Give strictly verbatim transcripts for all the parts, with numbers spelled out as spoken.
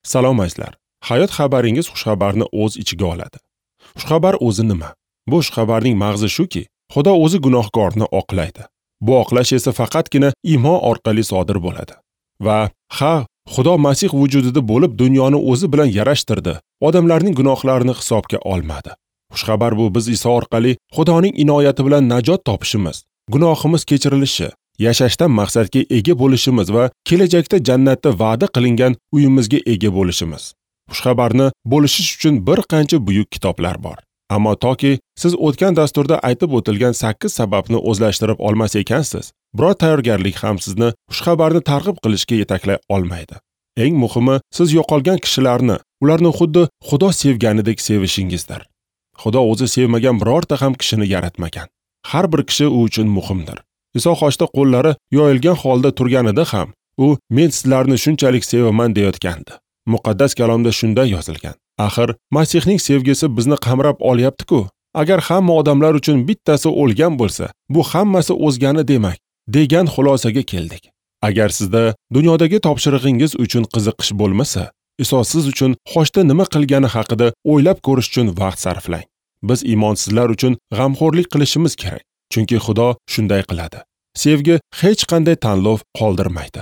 Salom azizlar. Hayot xabaringiz xushxabarni o'z ichiga oladi. Xushxabar o'zi nima? Bu xushxabarning mag'zi shuki, Xudo o'zi gunohkorni oqlaydi. Bu oqlash esa faqatgina iymon orqali sodir bo'ladi. Va ha, Xudo Masih vujudida bo'lib dunyoni o'zi bilan yarashtirdi. Odamlarning gunohlarini hisobga olmadi. Xushxabar bu biz Iso orqali Xudoning inoyati bilan najot topishimiz, gunohimiz kechirilishi, yashashdan maqsadga ega bo'lishimiz va kelajakda jannatda va'da qilingan uyimizga ega bo'lishimiz. Xushxabarni bo'lishish uchun bir qancha buyuk kitoblar bor. Ammo toki siz o'tgan dasturda aytib o'tilgan sakkiz sababni o'zlashtirib olmas ekansiz, biror tayyorgarlik ham sizni xushxabarni targ'ib qilishga yetaklay olmaydi. Eng muhimi, siz yo'qolgan kishilarni, ularni xuddi Xudo sevganidek sevishingizdir. Xudo o'zi sevmagan birorta ham kishini yaratmagan. Har bir kishi u uchun muhimdir. Iso xochda qo'llari yoyilgan holda turganida ham u men sizlarni shunchalik sevaman deyotgandi. Muqaddas kalomda shunday yozilgan. Axir Masihning sevgisi bizni qamrab olyapti-ku. Agar hamma odamlar uchun bittasi o'lgan bo'lsa, bu hammasi o'zgani demak, degan xulosaga keldik. Agar sizda dunyodagi topshirig'ingiz uchun qiziqish bo'lmasa, Iso siz uchun xochda nima qilgani haqida o'ylab ko'rish uchun vaqt sarflang. Biz iymonsizlar uchun g'amxo'rlik qilishimiz kerak, chunki Xudo shunday qiladi. Sevgi hech qanday tanlov qoldirmaydi.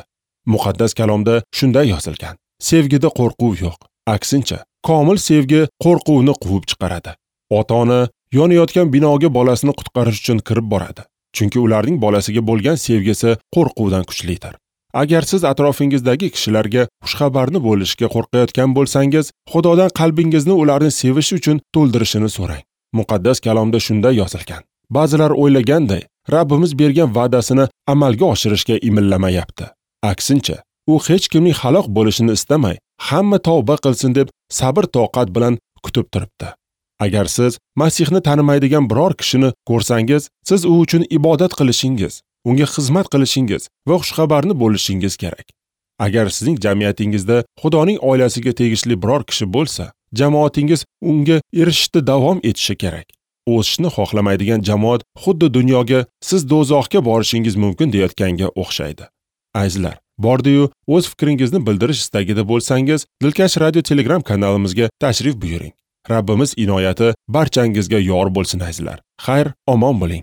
Muqaddas kalomda shunday yozilgan. Sevgida qo'rquv yo'q. Aksincha, komil sevgi qo'rquvni quvib chiqaradi. Ota-ona yonayotgan binoga bolasini qutqarish uchun kirib boradi, chunki ularning bolasiga bo'lgan sevgisi qo'rquvdan kuchlidir. Agar siz atrofingizdagi kishilarga xushxabarni bo'lishga qo'rqayotgan bo'lsangiz, Xudodan qalbingizni ularni sevish uchun to'ldirishini so'rang. Muqaddas kalomda shunday yozilgan. Ba'zilar o'ylaganday, Rabbimiz bergan va'dasini amalga oshirishga imillamayapti. Aksincha, u hech kimning halok bo'lishini istamay, hamma tavba qilsin deb sabr toqat bilan kutib turibdi. Agar siz Masihni tanimaydigan biror kishini ko'rsangiz, siz u uchun ibodat qilishingiz, unga xizmat qilishingiz va xushxabarni bo'lishingiz kerak. Agar sizning jamiyatingizda Xudoning oilasiga tegishli biror kishi bo'lsa, jamoatingiz unga erishishda davom etishi kerak. O'sishni xohlamaydigan jamoat xuddi dunyoga siz do'zaxga borishingiz mumkin deyotganga o'xshaydi. Azizlar, bordi-yu o'z fikringizni bildirish istagida bo'lsangiz, Dilkash Radio Telegram kanalimizga tashrif buyuring. Rabbimiz inoyati barchangizga yor bo'lsin azizlar. Xayr, omon bo'ling.